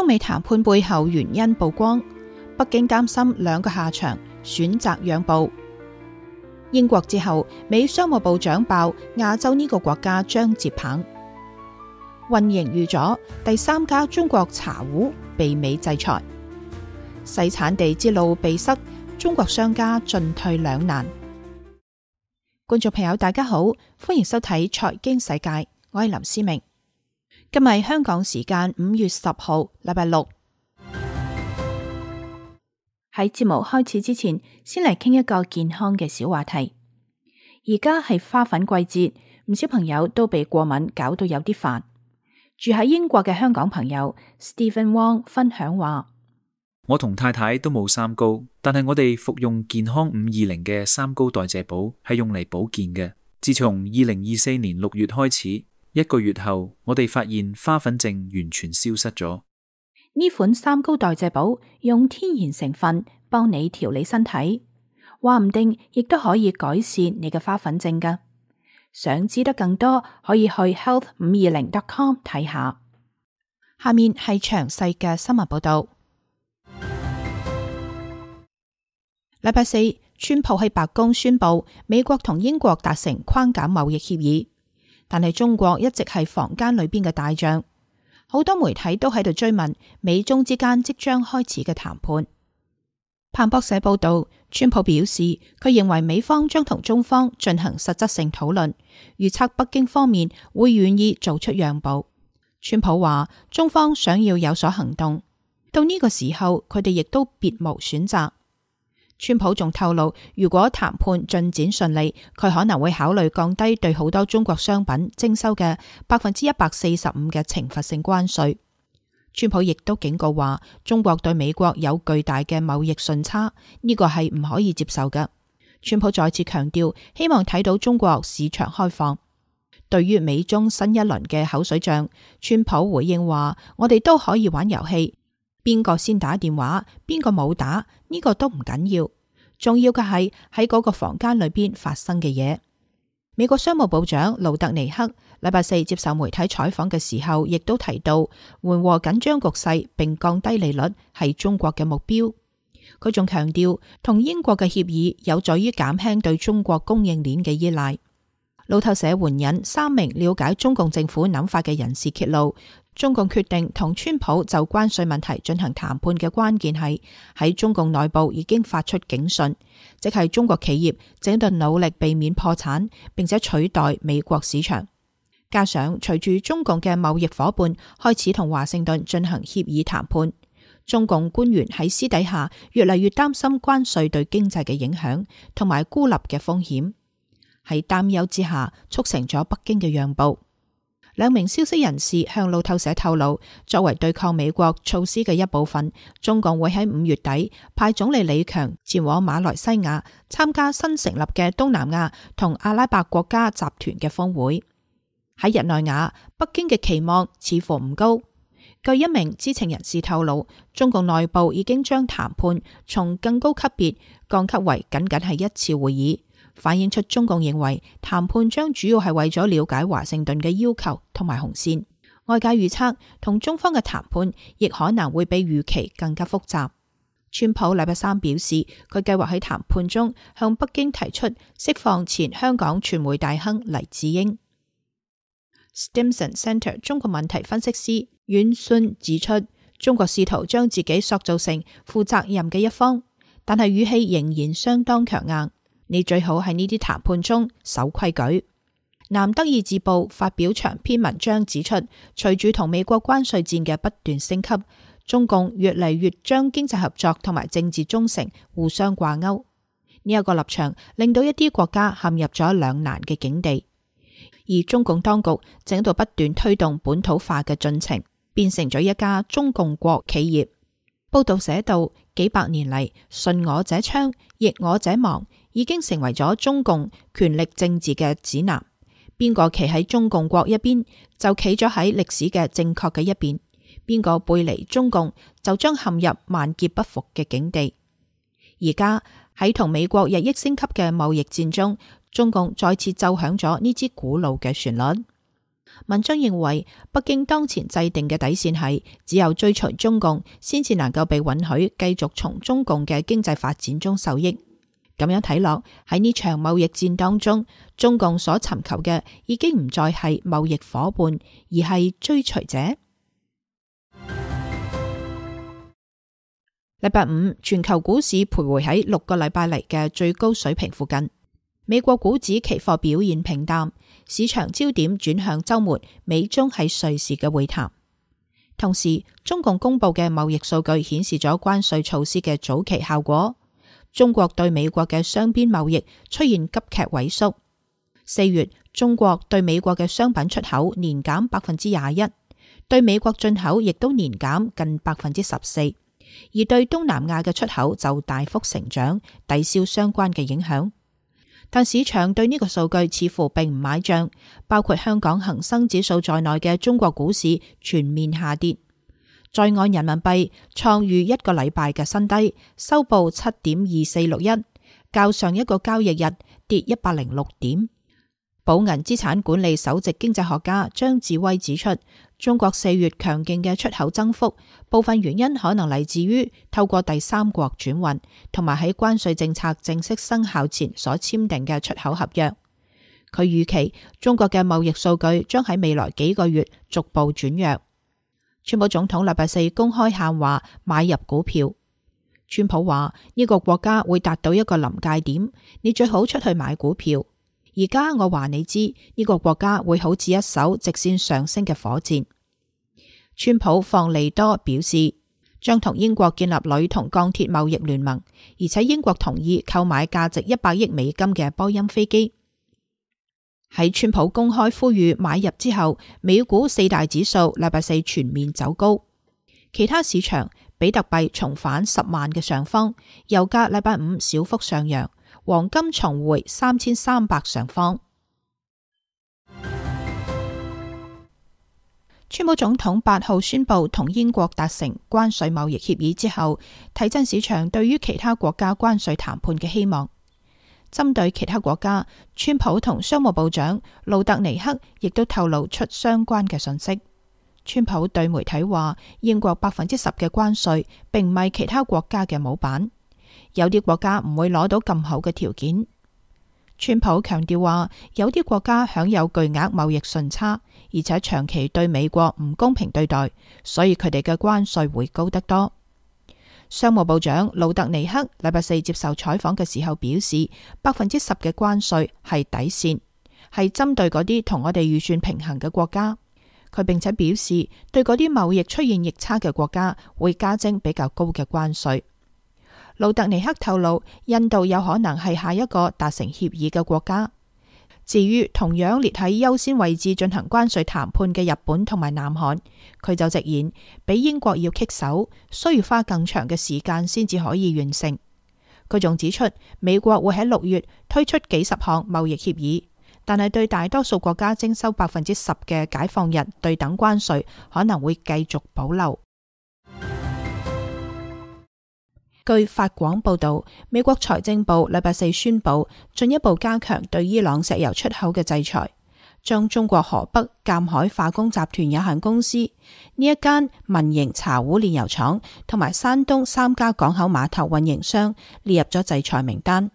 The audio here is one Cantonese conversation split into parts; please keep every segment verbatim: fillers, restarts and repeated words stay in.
中美談判背後原因曝光，北京擔心兩個下場，選擇讓步。英國之後，美商務部長爆亞洲呢個國家將接棒。運營預咗，第三家中國茶壺被美制裁。細產地之路被塞，中國商家進退兩難。觀眾朋友大家好，歡迎收睇財經世界，我係林思明。今日香港時間五月十號，禮拜六。喺節目開始之前，先嚟傾一個健康嘅小話題。而家係花粉季節，唔少朋友都被過敏搞到有啲煩。住喺英國嘅香港朋友 Stephen Wong 分享話：我同太太都冇三高，但係我哋服用健康五二零嘅三高代謝寶係用嚟保健嘅。自從二零二四年六月開始，一個月後，我哋發現花粉症完全消失咗。呢款三高代謝寶用天然成分幫你調理身體，話唔定亦都可以改善你嘅花粉症㗎。想知得更多，可以去 health 五二零 dot com 睇下。下面係詳細嘅新聞報道。禮拜四，川普喺白宮宣布美國同英國達成框架貿易協議，但係中國一直係房間裏邊嘅大將。好多媒體都喺度追問美中之間即將開始嘅談判。彭博社報道，川普表示佢認為美方將同中方進行實質性討論，預測北京方面會願意做出讓步。川普話中方想要有所行動，到呢個時候佢哋亦都別無選擇。川普仲透露，如果談判進展順利，佢可能會考慮降低對好多中國商品徵收嘅百分之一百四十五嘅懲罰性關稅。川普亦都警告話，中國對美國有巨大嘅貿易順差，呢個係唔可以接受嘅。川普再次強調，希望睇到中國市場開放。對於美中新一輪嘅口水仗，川普回應話：我哋都可以玩遊戲，邊個先打電話，邊個冇打，呢個都唔緊要，重要嘅係喺嗰個房間裏邊發生嘅嘢。美國商務部長盧特尼克禮拜四接受媒體採訪嘅時候，亦都提到緩和緊張局勢並降低利率係中國嘅目標。佢仲強調，同英國嘅協議有助於減輕對中國供應鏈嘅依賴。路透社援引三名了解中共政府諗法嘅人士揭露，中共決定同川普就關稅問題進行談判嘅關鍵係喺中共內部已經發出警訊，即係中國企業正在努力避免破產，並且取代美國市場。加上隨住中共嘅貿易夥伴開始同華盛頓進行協議談判，中共官員喺私底下越嚟越擔心關稅對經濟嘅影響同埋孤立嘅風險。喺擔憂之下，促成咗北京嘅讓步。兩名消息人士向路透社透露，作為對抗美國措施嘅一部分，中共會喺五月底派總理李強前往馬來西亞參加新成立嘅東南亞同阿拉伯國家集團嘅峰會。喺日內瓦，北京嘅期望似乎唔高。據一名知情人士透露，中共內部已經將談判從更高級別降級為僅僅係一次會議，反映出中共認為談判將主要係為咗了解華盛頓嘅要求同埋紅線。外界預測同中方嘅談判亦可能會比預期更加複雜。川普禮拜三表示，佢計劃喺談判中向北京提出釋放前香港傳媒大亨黎智英。Stimson Center 中國問題分析師阮信指出，中國試圖將自己塑造成負責任嘅一方，但係語氣仍然相當強硬。你最好喺呢啲談判中守規矩。南德意志報發表長篇文章指出，隨住同美國關稅戰嘅不斷升級，中共越嚟越將經濟合作同埋政治忠誠互相掛鈎。呢一個立場令到一啲國家陷入咗兩難嘅境地，而中共當局正喺度不斷推動本土化嘅進程，變成咗一家中共國企業。報道寫道，幾百年嚟，順我者昌，逆我者亡，已經成為咗中共權力政治嘅指南。邊個企喺中共國一邊，就企咗喺歷史嘅正確嘅一邊；邊個背離中共，就將陷入萬劫不復嘅境地。而家喺同美國日益升級嘅貿易戰中，中共再次奏響咗呢支古老嘅旋律。文章認為，北京當前制定嘅底線係，只有追隨中共，先至能夠被允許繼續從中共嘅經濟發展中受益。咁樣睇落，喺呢場貿易戰當中，中共所尋求嘅已經唔再係貿易夥伴，而係追隨者。禮拜五，全球股市徘徊喺六個禮拜嚟嘅最高水平附近。美國股指期貨表現平淡，市場焦點轉向週末美中喺瑞士嘅會談。同時，中共公布嘅貿易數據顯示咗關稅措施嘅早期效果。中國對美國嘅雙邊貿易出現急劇萎縮。四月，中國對美國嘅商品出口年減百分之廿一，對美國進口亦都年減近百分之十四，而對東南亞嘅出口就大幅成長，抵消相關嘅影響。但市場對呢個數據似乎並唔買賬，包括香港恒生指數在內嘅中國股市全面下跌。在岸人民幣創逾一個禮拜嘅新低，收報七點二四六一，較上一個交易日跌一百零六點。寶銀資產管理首席經濟學家張智威指出，中國四月強勁嘅出口增幅，部分原因可能嚟自於透過第三國轉運，同埋喺關稅政策正式生效前所簽訂嘅出口合約。佢預期中國嘅貿易數據將喺未來幾個月逐步轉弱。川普總統禮拜四公開喊話買入股票。川普話呢個國家會達到一個臨界點，你最好出去買股票。而家我話你知，呢個國家會好似一艘直線上升嘅火箭。川普放利多表示，將同英國建立鋁同鋼鐵貿易聯盟，而且英國同意購買價值一百億美金嘅波音飛機。喺川普公開呼籲買入之後，美股四大指數禮拜四全面走高，其他市場比特幣重返十萬嘅上方，油價禮拜五小幅上揚，黃金重回三千三百上方。川普總統八號宣布同英國達成關稅貿易協議之後，提振市場對於其他國家關稅談判嘅希望。針對其他國家，川普同商務部長路特尼克亦都透露出相關嘅信息。川普對媒體話，英國百分之十嘅關稅並唔係其他國家嘅模板，有啲國家唔會攞到咁好嘅條件。川普強調話，有啲國家享有巨額貿易順差，而且長期對美國唔公平對待，所以佢哋嘅關稅會高得多。商務部長路特尼克禮拜四接受採訪嘅時候表示，百分之十嘅關稅係底線，係針對嗰啲同我哋預算平衡嘅國家。佢並且表示，對嗰啲貿易出現逆差嘅國家會加徵比較高嘅關稅。路特尼克透露，印度有可能係下一個達成協議嘅國家。至於同樣列喺優先位置進行關稅談判嘅日本同埋南韓，佢就直言比英國要棘手，需要花更長嘅時間先至可以完成。佢仲指出，美國會喺六月推出幾十項貿易協議，但係對大多數國家徵收百分之十嘅解放日對等關稅可能會繼續保留。據法廣報道，美國財政部禮拜四宣布進一步加強對伊朗石油出口嘅制裁，將中國河北鑒海化工集團有限公司呢一間民營茶壺煉油廠同埋山東三家港口碼頭運營商列入咗制裁名單。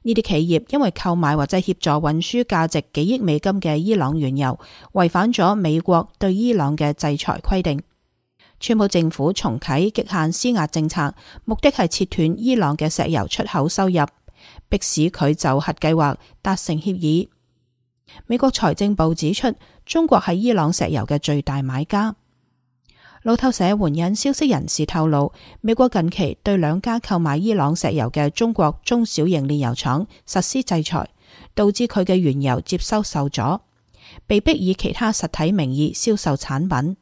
呢啲企業因為購買或者協助運輸價值幾億美金嘅伊朗原油，違反咗美國對伊朗嘅制裁規定。川普政府重啟極限施壓政策，目的係切斷伊朗嘅石油出口收入，迫使佢就核計劃達成協議。美國財政部指出，中國係伊朗石油嘅最大買家。路透社援引消息人士透露，美國近期對兩家購買伊朗石油嘅中國中小型煉油廠實施制裁，導致佢嘅原油接收受阻，被迫以其他實體名義銷售產品。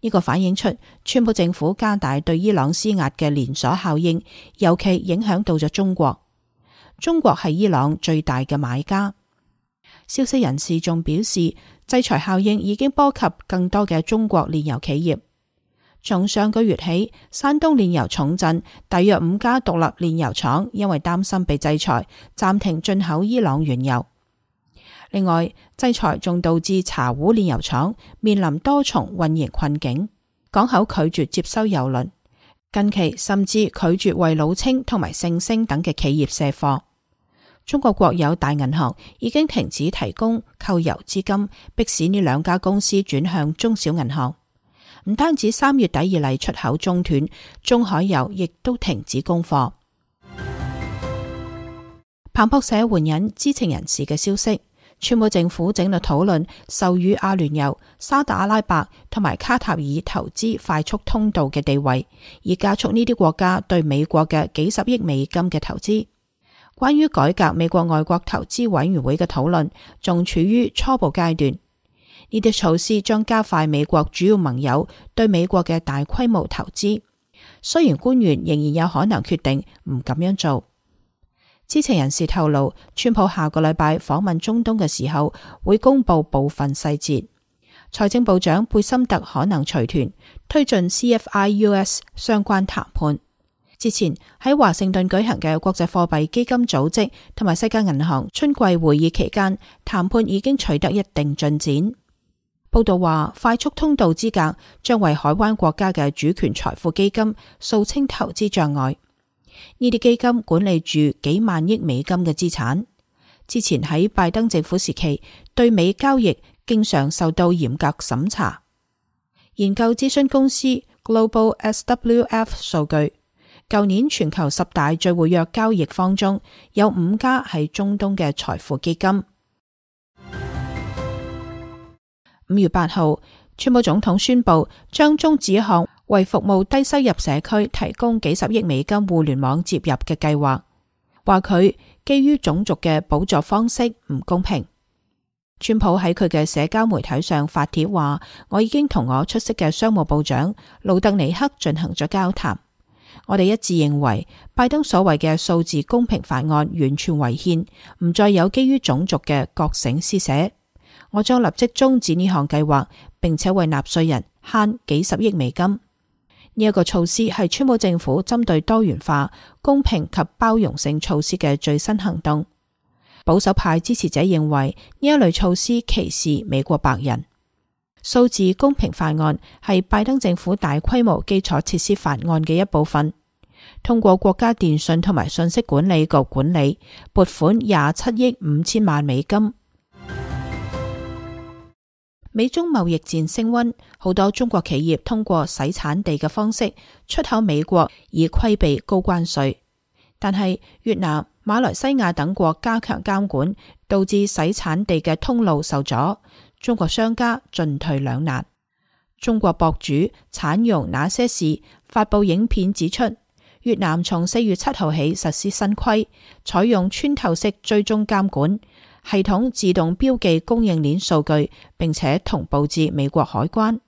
呢個反映出川普政府加大對伊朗施壓嘅連鎖效應，尤其影響到咗中國。中國係伊朗最大嘅買家。消息人士仲表示，制裁效應已經波及更多嘅中國煉油企業。從上個月起，山東煉油重鎮大約五家獨立煉油廠因為擔心被制裁，暫停進口伊朗原油。另外，制裁仲導致茶壺煉油廠面臨多重運營困境，港口拒絕接收郵輪，近期甚至拒絕為老清同埋盛星等嘅企業卸貨。中國國有大銀行已經停止提供購郵資金，迫使呢兩家公司轉向中小銀行。唔單止三月底以嚟出口中斷，中海油亦都停止供貨。彭博社援引知情人士嘅消息，川普政府正在討論授予阿聯酋、沙特阿拉伯同埋卡塔爾投資快速通道嘅地位，以加速呢啲國家對美國嘅幾十億美金嘅投資。關於改革美國外國投資委員會嘅討論仲處於初步階段。呢啲措施將加快美國主要盟友對美國嘅大規模投資，雖然官員仍然有可能決定唔咁樣做。知情人士透露，川普下個禮拜訪問中東嘅時候會公布部分細節。財政部長貝森特可能隨團推進 C F I U S 相關談判。之前喺華盛頓舉行嘅國際貨幣基金組織同埋世界銀行春季會議期間，談判已經取得一定進展。報道話，快速通道資格將為海灣國家嘅主權財富基金掃清投資障礙。呢啲基金管理住幾萬億美金嘅資產，之前喺拜登政府時期對美交易經常受到嚴格審查。研究諮詢公司 Global S W F 數據，舊年全球十大最活躍交易方中有五家係中東嘅財富基金。五月八號，川普總統宣布將終止一項為服務低收入社區提供幾十億美金互聯網接入嘅計劃，話佢基於種族嘅補助方式唔公平。川普喺佢嘅社交媒體上發帖話：我已經同我出色嘅商務部長盧特尼克進行咗交談，我哋一致認為拜登所謂嘅數字公平法案完全違憲，唔再有基於種族嘅覺醒施捨。我將立即終止呢項計劃，並且為納稅人慳幾十億美金。呢、這、一個措施係川普政府針對多元化、公平及包容性措施嘅最新行動。保守派支持者認為呢一類措施歧視美國白人。數字公平法案係拜登政府大規模基礎設施法案嘅一部分，通過國家電信同埋信息管理局管理，撥款廿七億五千萬美金。美中貿易戰升溫，好多中國企業通過洗產地嘅方式出口美國，以規避高關稅。但係越南、馬來西亞等國加強監管，導致洗產地嘅通路受阻，中國商家進退兩難。中國博主產蓉那些事發佈影片指出，越南從四月七號起實施新規，採用穿透式追蹤監管系統，自動標記供應鏈數據，並且同步至美國海關。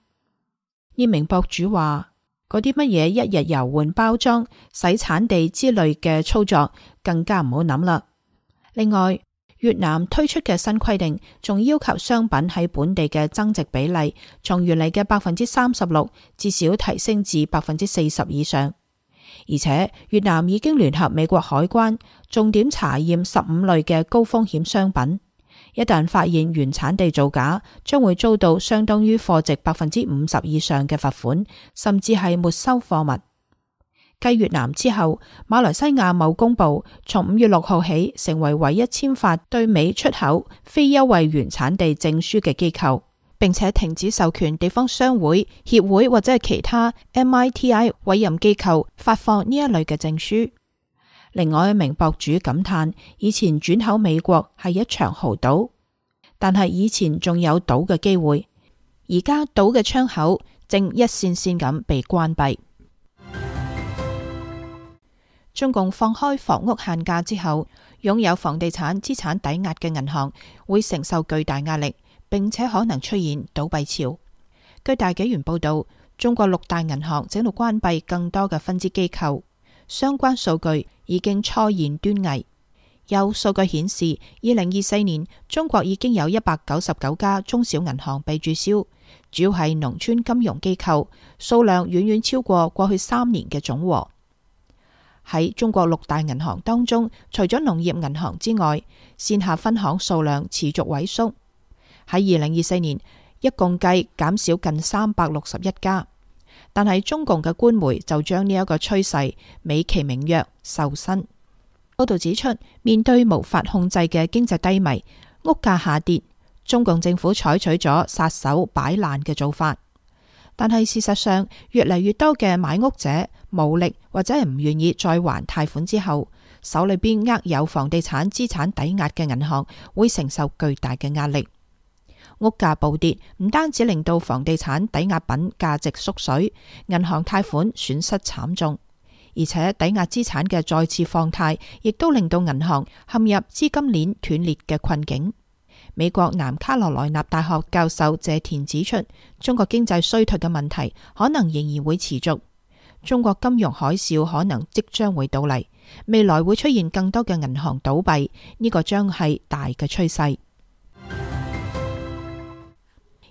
呢名博主話：嗰啲乜嘢一日遊換包裝、洗產地之類嘅操作，更加唔好諗啦。另外，越南推出嘅新規定，仲要求商品喺本地嘅增值比例，從原嚟嘅百分之三十六，至少提升至百分之四十以上。而且越南已經聯合美國海關重點查驗十五類嘅高風險商品，一旦發現原產地造假，將會遭到相當於貨值百分之五十以上嘅罰款，甚至係沒收貨物。繼越南之後，馬來西亞貿工部從五月六號起成為唯一簽發對美出口非優惠原產地證書嘅機構，並且停止授權地方商會、協會或者係其他 M I T I 委任機構發放呢一類嘅證書。另外一名博主感嘆，以前轉口美國係一場豪賭，但係以前仲有賭嘅機會，而家賭嘅窗口正一線線咁被關閉。中共放開房屋限價之後，擁有房地產資產抵押嘅銀行會承受巨大壓力，並且可能出現倒閉潮。據大紀元報道，中國六大銀行正喺度關閉更多嘅分支機構，相關數據已經初現端倪。有數據顯示，二零二四年中國已經有一百九十九家中小銀行被註銷，主要係農村金融機構，數量遠遠超過過去三年嘅總和。喺中國六大銀行當中，除咗農業銀行之外，線下分行數量持續萎縮。喺二零二四年，一共計減少近三百六十一家。但係中共嘅官媒就將呢一個趨勢美其名曰瘦身。報道指出，面對無法控制嘅經濟低迷，屋價下跌，中共政府採取咗撒手擺爛嘅做法。但係事實上，越嚟越多嘅買屋者無力或者係唔願意再還貸款之後，手裏邊握有房地產資產抵押嘅銀行會承受巨大嘅壓力。屋價暴跌唔單止令到房地產抵押品價值縮水，銀行貸款損失慘重，而且抵押資產嘅再次放貸，亦都令到銀行陷入資金鏈斷裂嘅困境。美國南卡羅來納大學教授謝田指出，中國經濟衰退嘅問題可能仍然會持續，中國金融海嘯可能即將會到嚟，未來會出現更多嘅銀行倒閉，呢個將係大嘅趨勢。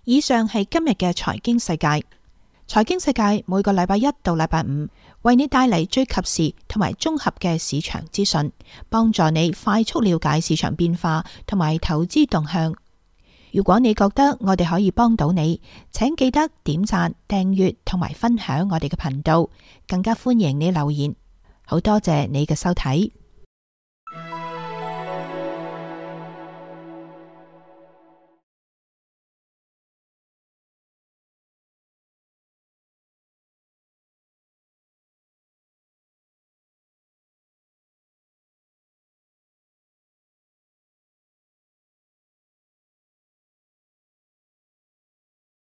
以上係今日嘅財經世界。財經世界每個禮拜一到禮拜五為你帶嚟最及時同埋綜合嘅市場資訊，幫助你快速了解市場變化同埋投資動向。如果你覺得我哋可以幫到你，請記得點讚、訂閱同埋分享我哋嘅頻道，更加歡迎你留言。好多謝你嘅收睇。